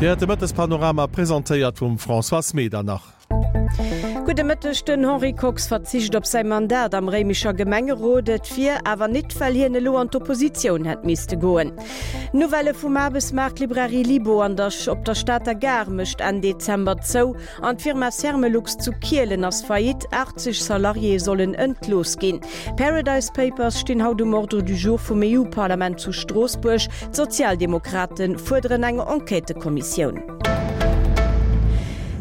Dir héiert de Mëttespanorama, presentéiert vum Françoise Medernach. Gudde Mëtteg, Den Henri Kox verzicht op säi Mandat am Réimecher Gemengerot. Et wier awer nit, well hien elo an d'Oppositioun hätt misste goen. Nouvellë vum Aarbechtsmaart, D'Librairie Libo an der op der Stater Gare mécht Enn Dezember zou an d'Firma Sermelux zu Kielen ass Faillite, 80 Salariéë sollen entlooss ginn. D'Paradise Papers stinn haut um Ordre du jour vum EU-Parlament zu Stroossbuerg. D'Sozialdemokrate fuerderen eng Enquêtëkommissioun.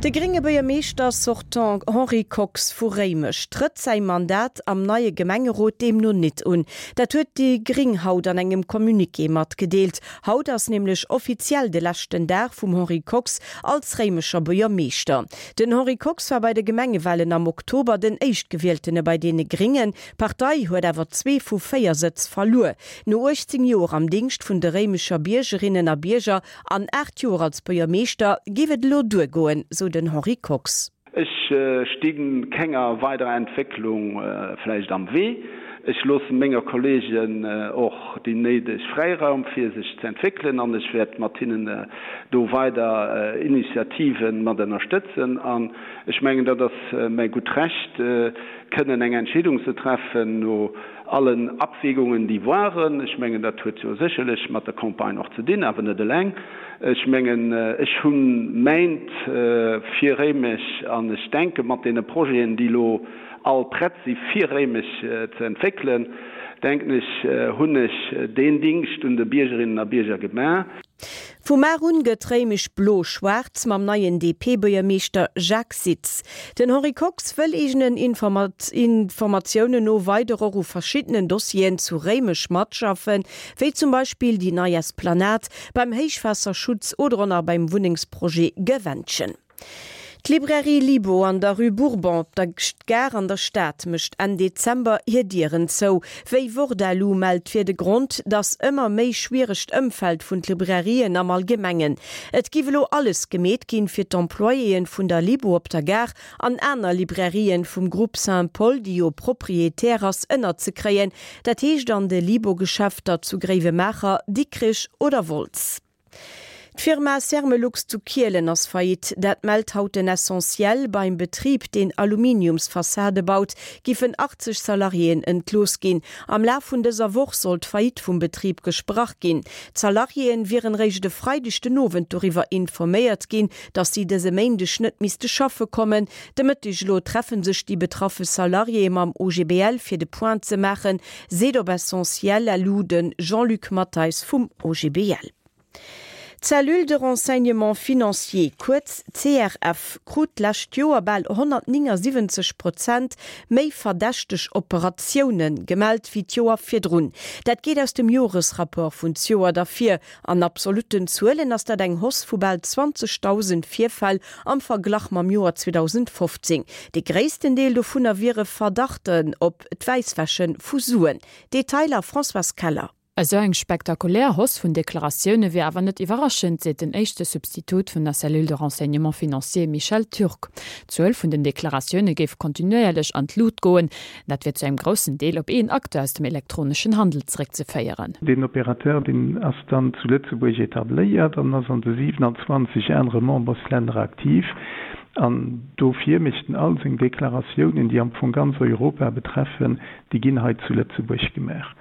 De grénge Buergermeeschter sortant Henri Kox vu Réimech trëtt säi Mandat am neie Gemengerot deemno nit un. Dat huet déi gréng haut an engem Communiqué matgedeelt. Haut ass nämlech offiziell de leschten Dag vum Henri Kox als Réimecher Buergermeeschter. Den Henri Kox war bei de Gemengewalen am Oktober den Éischtgewieltene bei deene Gréngen. D'Partei huet awer zwee vu 4 Sëtz verluer. No 18 Joer am Dingscht vun de Réimecher Biergerinnen a Bierger An 8 Joer als Buergermeeschter géif et elo duergoen, sou den Henri Kox. Ech sti kenger weiderer Entwécklung vläicht am Wee. Ech loosse menger Kolleegen och déi néideg Fräiraum fir sech ze entwéckelen an ech wäert mat hinnen do weider Initiative mat ënnerstëtzen. An ech mengen, dat ass mäi gutt Recht, kënnen eng Entscheedung ze treffen no allen Abwägungen, déi waren. Ech mengen, dat huet jo sécherlech mat der Campagne och ze dinn, awer net eleng. Ech mengen, ech hu mäint fir Réimech an ech denke mat deene Projeten, déi elo all prett si fir Réimech ze entwéckelen, denken ech, hunn ech deen Dingscht un de Biergerinnen a Bierger gemaach. Vu mar un gëtt Réimech blo-schwaarz mam neien DP-Buergermeeschter Jacques Sitz. Den Henri Kox wëll eegenen Informatiounen no weider och u verschiddenen Dossieren zu Réimech matschaffen, wéi zum Beispill déi nei Esplanade, beim Héichwaasserschutz oder och nach beim Wunnengsprojet Gewännchen. D'Librairie Libo an der Rue Bourbon op der Gare an der Stad mécht Enn Dezember hir Dieren zou. Wéi Wort.lu mellt, wier de Grond datt ëmmer méi schwieregt Ëmfeld vun d'Librairien am Allgemengen. Et giff elo alles gemeet ginn, fir d'Employéen vun der Libo op der Gare an aner Librairien vum Groupe Saint-Paul, déi jo Proprietär ass, ënnerzekréien. Dat heescht an de Libo-Geschäfter zu Gréiwemaacher, Dikrich oder Wolz. D'Firma Sermelux zu Kielen ass Faillite. Dat mellt haut den Essentiel. Beim Betrib, deen Aluminiumsfassade baut, giffen 80 Salariéen entlooss ginn. Am Laf vun dëser Woch soll d'Faillite vum Betrib gesprach ginn. D'Salariéen wieren réischt e Freideg den Owend doriwwer informéiert ginn, datt si dëse Méindeg net misste schaffe kommen. De Mëtteg elo treffe sech déi betraffe Salariéë mam OGBL fir de Point ze maachen, Seet op Essentiel elu de Jean-Luc Matteis vum OGBL. D'Cellule de renseignement financier, kuerz CRF, krut d'lescht Joer bal 179 Prozent méi verdächteg Operatioune gemellt wéi d'Joer virdrun. Dat geet aus dem Joresrapport vun zjoert ervir. An absolutten Zuelen ass dat eng Hausse vu bal 20.000 Virfäll am Verglach mam Joer 2015. De gréissten Deel dovunner wiere Verdachten op d'Wäisswäsche vu Suen. Detailer Françoise Keller. Esou eng spektakulär Hausse vun Deklaratioune wier awer net iwwerraschend, seet den éischte Substitut vun der Cellule de renseignement financier Michel Turk. D'Zuel vun den Deklaratioune géif kontinuéierlech an d'Lut goen. Dat wier zu engem groussen Deel op een Acteur aus dem elektroneschen Handel zeréckzeféieren. Deen Opérateur, deen ass dann zu Lëtzebuerg etabléiert an ass an de 27 anere Memberslänner aktiv. An dofir mécht en all seng Deklaratiounen, déi am Fong ganz Europa betreffen, déi ginn hei zu Lëtzebuerg gemaach.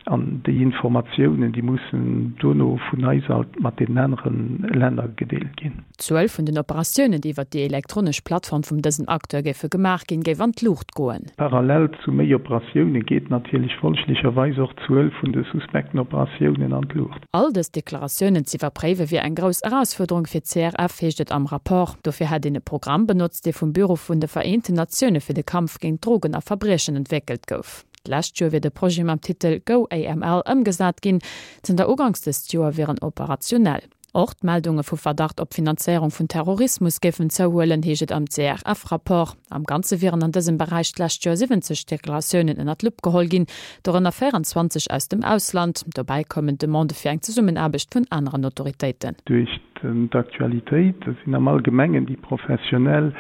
An déi Informatiounen, déi mussen dono vun eis alt mat deenen anere Länner gedeelt ginn. D'Zuel vun den Operatiounen, déi iwwer déi elektronesch Plattform vum dësem Acteur géife gemaach ginn, géif an d'Luucht goen. Parallel zu méi Operatioune geet natierlech folglecherweis och d'Zuel vun de suspekten Operatiounen an d'Luucht. All dës Deklaratiounen z'iwwerpréiwe wier eng grouss Erausfuerderung fir d'CRF, heescht et am Rapport. Dofir hätt een e Programm benotzt, dee vum Büro vun de Vereenten Natioune fir de Kampf géint Drogen a Verbriechen entwéckelt gouf. D'lescht Joer wier de Projet mam Titel GoAML ëmgesat ginn. Zënter uganks dëst Joer wier en operationell. Och d'Meldunge vu Verdacht op Finanzéierung vun Terrorismus géifen zouhuelen, heescht et am CRF-Rapport. Am Ganze wieren an dësem Beräich d'lescht Joer 70 Deklaratiounen ënner d'Lupp geholl ginn, dorënner 24 aus dem Ausland. Dobäi koumen Demandë fir eng Zesummenaarbecht vun aneren Autoritéiten. Duerch d'Aktualitéit sinn am Allgemengen déi Professionell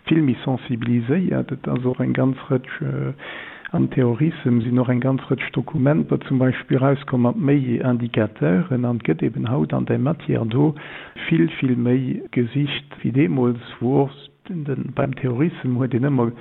vill méi sensibiliséiert. Et ass och eng ganz Rëtsch. Am Terrorissem sinn och eng ganz Rëtsch Dokumenter zum Beispill erauskomm mat méi Indicateuren an et gëtt eben haut an där Matière do vill, vill méi gesicht wéi deemools, wou och beim Terrorissem huet een ëmmer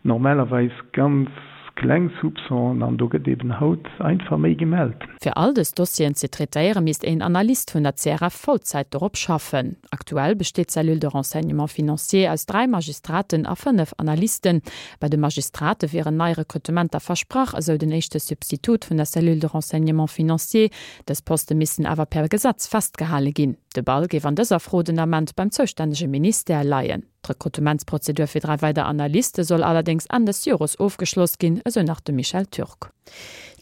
normalerweis ganz kleng Soupçonen an do gëtt eben haut einfach méi gemellt. Fir all dës Dossieren ze traitéiere misst een Analyst vun der CRF Vollzäit dorop schaffen. Aktuell besteet d'Cellule de renseignement financier aus 3 Magistraten a 5 Analysten. Bei de Magistrate wieren nei Rekrutementer versprach, esou den éischte Substitut vun der Cellule de renseignement financier. Dës Poste missten awer per Gesetz festgehale ginn. De Ball géif an dëser Fro den Ament beim zoustännege Ministère leien. D'Rekrutementsprozedur fir 3 weider Analyste soll allerdéngs Enn des Jores ofgeschloss ginn, esou nach de Michel Türk.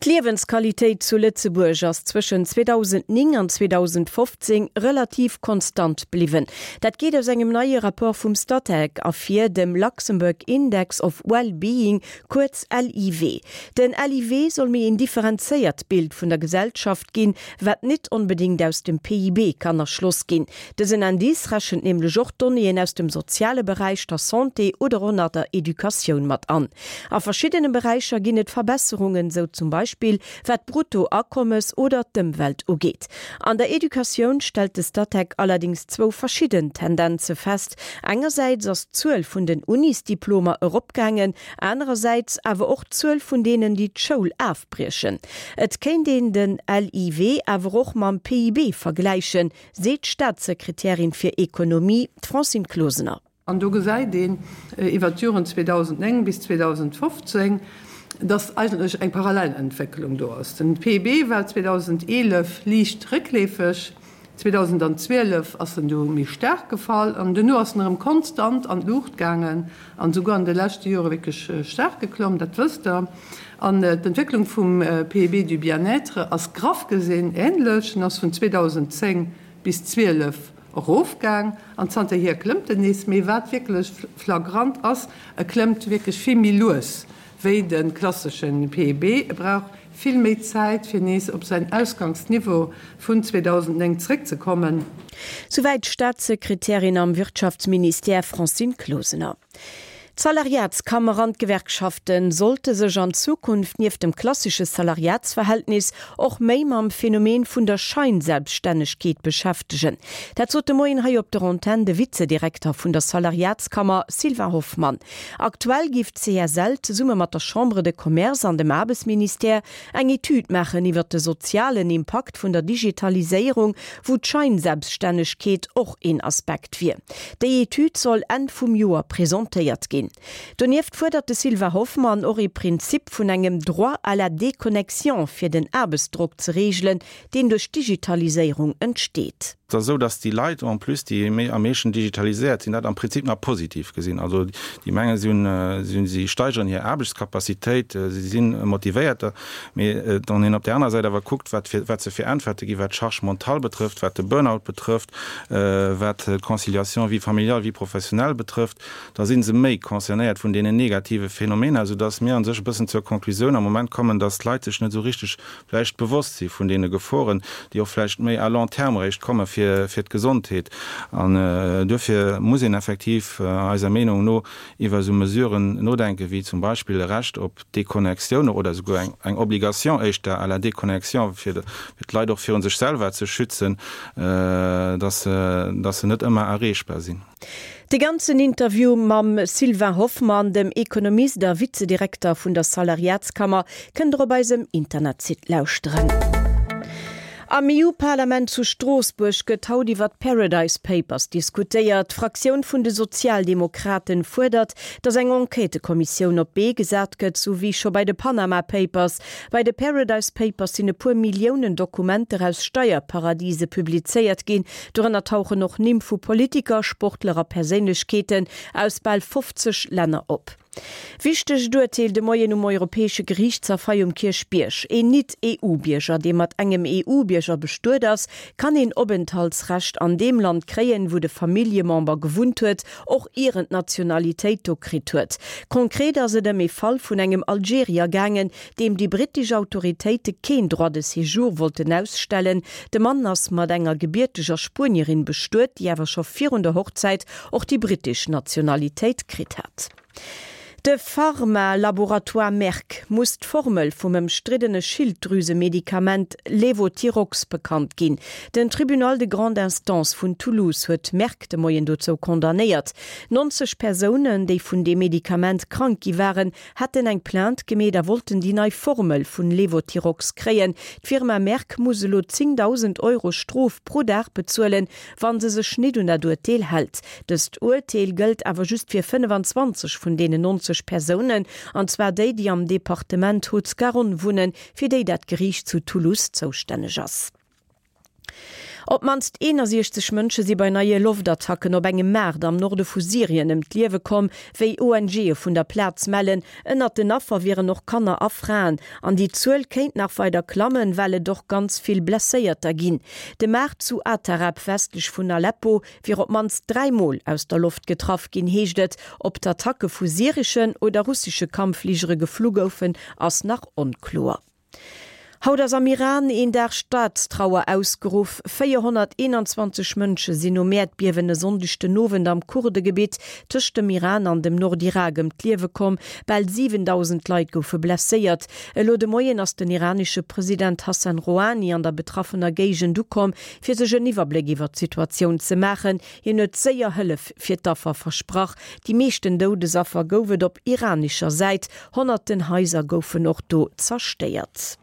D'Liewensqualitéit zu Lëtzebuerg ass zwëschen 2009 an 2015 relativ konstant bliwwen. Dat geet aus engem neie Rapport vum Statec ervir, dem Luxembourg Index of Well-Being, kuerz LIW. Den LIW soll méi een differenzéiert Bild vun der Gesellschaft ginn, wat nit onbedéngt aus dem PIB kann erschloss ginn. Dësen Indice rechent nämlech och Donnéeën aus dem soziale Beräich, der Santé oder och nach der Educatioun mat an. A verschiddene Beräicher ginn et Verbesserungen, sou zum Beispill wat d'Bruttoakommes oder d'Ëmwelt ugeet. An der Educatioun stellt de Statec allerdéngs zwou verschidden Tendenze fest, Engersäits ass d'Zuel vun den Unisdiplomer eropgaangen, anerersäits awer och d'Zuel vun deenen, déi d'Schoul afbriechen. Et kéint een den LIW awer och mam PIB vergläichen, seet d'Staatssekretärin fir Ekonomie, d'Francine Closener. An do gesäit een iwwert d'Joren 2009 bis 2015, dass eigentlech eng parallel Entwécklung do ass. Den PIB war 2011 liicht réckleefeg, 2012 ass en du méi staark gefall an duerno ass en erëm konstant an d'Luucht gaangen an esouguer an de leschte Jore wierklech staark geklomm, dat wësst Der. An d'Entwécklung vum PIB du bien-être ass graff gesinn änlech, en ass vun 2010 bis 12 erofgaang an zanterhier klëmmt en nees. Mee wat wierklech flagrant ass, e klëmmt wierklech vill méi lues wéi de klassesche PIB. E brauch vill méi Zäit, fir nees op säin Ausgangsniveau vun 2009 zréckzekommen. Souwäit d'Staatssekretärin am Wirtschaftsministère Francine Closener. D'Salariatskammer an d'Gewerkschafte sollte sech an Zukunft nieft dem klassesche Salariatsverhältnis och méi mam Phänomen vun der Scheinselbststännegkeet beschäftegen. Dat sot de Moien hei op der Antenn de Vizedirekter vun der Salariatskammer Sylvain Hoffmann. Aktuell géif d'CSL zesumme mat der Chambre de Commerce an dem Aarbechtsministère eng Etüd maachen iwwert de sozialen Impakt vun der Digitaliséierung, wou d'Scheinselbststännegkeet och een Aspekt wier. Déi Etüd soll Enn vum Joer presentéiert ginn. Donieft fuerdert de Sylvain Hoffmann och ee Prinzip vun engem Droit à la déconnexion fir den Aarbechtsdrock ze reegelen, deen duerch d'Digitaliséierung entsteet. Et ass esou, dass déi Leit en plus, déi méi am meeschten digitaliséiert sinn, dat am Prinzip nach positiv gesinn. Also déi mengen, si hunn, si hunn, si steigeren hir Aarbechtscapacitéit, si si motivéierter. Mee wann een op där anerer Säit awer kuckt, wat fir, wat se fir Äntwerte ginn, wat d'Charge mentale betrëfft, wat de Burnout betrëfft, wat d'Conciliation vie familiale, vie professionnelle betrëfft, da si se méi concernéiert vun deenen negative Phänomener, soudass mir a sech e bëssen zur Konklusioun am Moment kommen, dass d'Leit sech net esou richteg vläicht bewosst si vun deene Geforen, déi och vläicht méi à long terme eréischt komme fir d'Gesondheet. An duerfir muss een effektiv eiser Meenung no iwwer esou Mesuren nodenken, wéi zum Beispill e Recht op Déconnexioun oder esouguer eng Obligation éischter à la déconnexion, fir d'Leit och viru sech selwer ze schützen, dass se net ëmmer erreechbar sinn. De ganzen Interview mam Sylvain Hoffmann, dem Ekonomist a Vizedirekter vun der Salariatskammer, kënnt der op eisem Internetsite lauschteren. Am EU-Parlament zu Stroossbuerg gëtt haut iwwer d'Paradise Papers diskutéiert. D'Fraktioun vun de Sozialdemokraten fuerdert, datt eng Enquêtëkommissioun op d'Bee gesat gëtt, sou wéi scho bei de Panama Papers. Bei de Paradise Papers sinn e puer Milliounen Dokumenter aus Steierparadise publizéiert ginn. Dorënner tauchen och Nimm vu Politiker, Sportler a Perséinlechkeeten aus bal 50 Länner op. Wichtegt Urteel de Moien um Europäesche Geriichtshaff hei um Kierchbierg, Een Nit-EU-Bierger, dee mat engem EU-Bierger bestuet ass, kann een Openthaltsrecht an deem Land kréien, wou de Familljemember gewunnt huet, och ier en d'Nationalitéit do kritt huet. Konkret ass et ëm ee Fall vun engem Algerier gaangen, deem déi brittesch Autoritéite keen Droit de séjour wollten ausstellen. De Mann ass mat enger gebierteger Spuenierin bestuet, déi awer scho virun der Hochzäit och déi brittesch Nationalitéit kritt hat. De Pharma-Laboratoire Merck muss d'Formel vum ëmstriddene Schilddrüsemedikament Levothyrox bekannt ginn. Den Tribunal de grande instance vun Toulouse huet Merck de Moien dozou condamnéiert. 90 Persounen, déi vun deem Medikament krank gi waren, hätten eng Plainte gemeet a wollten déi nei Formel vun Levothyrox kréien. D'Firma Merck muss elo 10.000 Euro Strof pro Dag bezuelen, wann se sech nit un dat Urteel hält. Dëst Urteel gëllt awer just fir 25 vun deenen 90 Persounen, an zwar déi, déi am Departement Haute-Garonne wunnen, fir déi dat Geriicht zu Toulouse zoustänneg ass. Op d'mannst 61 Mënsche si bei neie Loftattacken op engem Maart am Norde vu Syrien ëm d'Liewe komm, wéi ONGe vun der Plaz mellen. Ënnert den Affer wieren och Kanner a Fraen. An déi Zuel kéint nach weider klammen, well et och ganz vill Blesséierter ginn. De Maart zu Atareb, westlech vun Aleppo, wier op d'mannst 3 Mol aus der Loft getraff ginn, heescht et. Ob d'Attacke vu syreschen oder russesche Kampffligere geflu goufen, ass nach onkloer. Haut ass am Iran een Dag Staatstrauer ausgeruff. 421 Mënsche sinn nom Äerdbiewen e Sonndeg den Owend am Kurdegebitt tëscht dem Iran an dem Nordirak ëm d'Liewe komm. Bal 7.000 Leit goufe blesséiert. Elo de Moien ass den iranesche President Hassan Rohani an der betraffener Géigend ukomm, fir sech en Iwwerbléck iwwer d'Situatioun ze maachen. Hien huet séier Hëllef fir d'Affer versprach. Déi meeschten Doudesaffer gouf et op iranescher Säit. Honnerten Haiser goufen och do zerstéiert.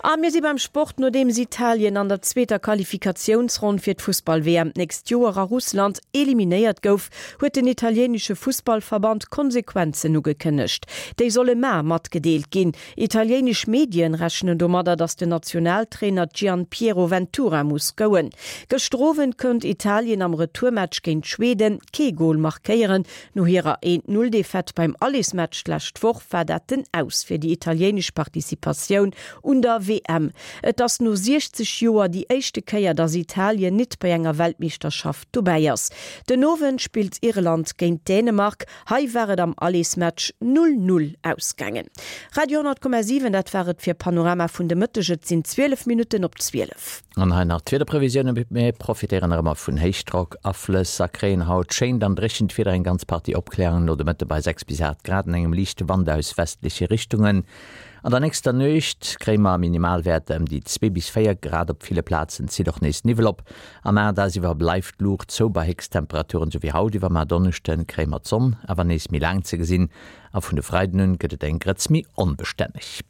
A mir si beim Sport, Nodeems Italien an der zweeter Qualifikatiounsronn fir d'Fussball-WM d'nächst Joer a Russland eliminéiert gouf, huet den italienesche Fussballverband Konsequenzen ugekënnegt. Déi solle mar matgedeelt ginn. Italienesch Medien rechnen domadder, datt den Nationaltrainer Gian Piero Ventura muss gouen. Gëschter Owend konnt Italien am Retourmatch géint Schweden kee Gol markéieren. No hirer Eent-Null-Defaite beim Allesmatch d'lescht Woch war dat den Aus fir déi italienesch Participatioun un der WM. Et ass no 60 Joer déi éischte Kéier, datt Italien nit bei enger Weltmeeschterschaft dobäi ass. Den Owend spillt Irland géint Dänemark. Hei war et am Allesmatch 0, 0 ausgaangen. Radio 10,7, dat war et fir Panorama vun de Mëtteg. Et sinn 12 Minutten op 12. An hei nach d'Wiederprevisiounen, Mir profitéieren nach ëmmer vun Héichdrockaflëss a kréien haut schéint an dréchent Wieder, eng ganz Partie Opkläerungen no de Mëtte bei 6 bis 8 Grad an engem liichte Wand aus westleche Richtungen. An der nächster Nuecht kréie mer Minimalwäerter ëm déi 2 bis 4 Grad, op ville Plazen zitt och nees Niwwel op. Am Aardagsiwwer bleift d'Luucht zou bei Héchsttemperaturen esou wéi haut. Iwwer mar Donneschde kréie mer d'Sonn awer nees méi laang ze gesinn a vun de Freiden un gëtt et eng Grëtz méi onbestänneg.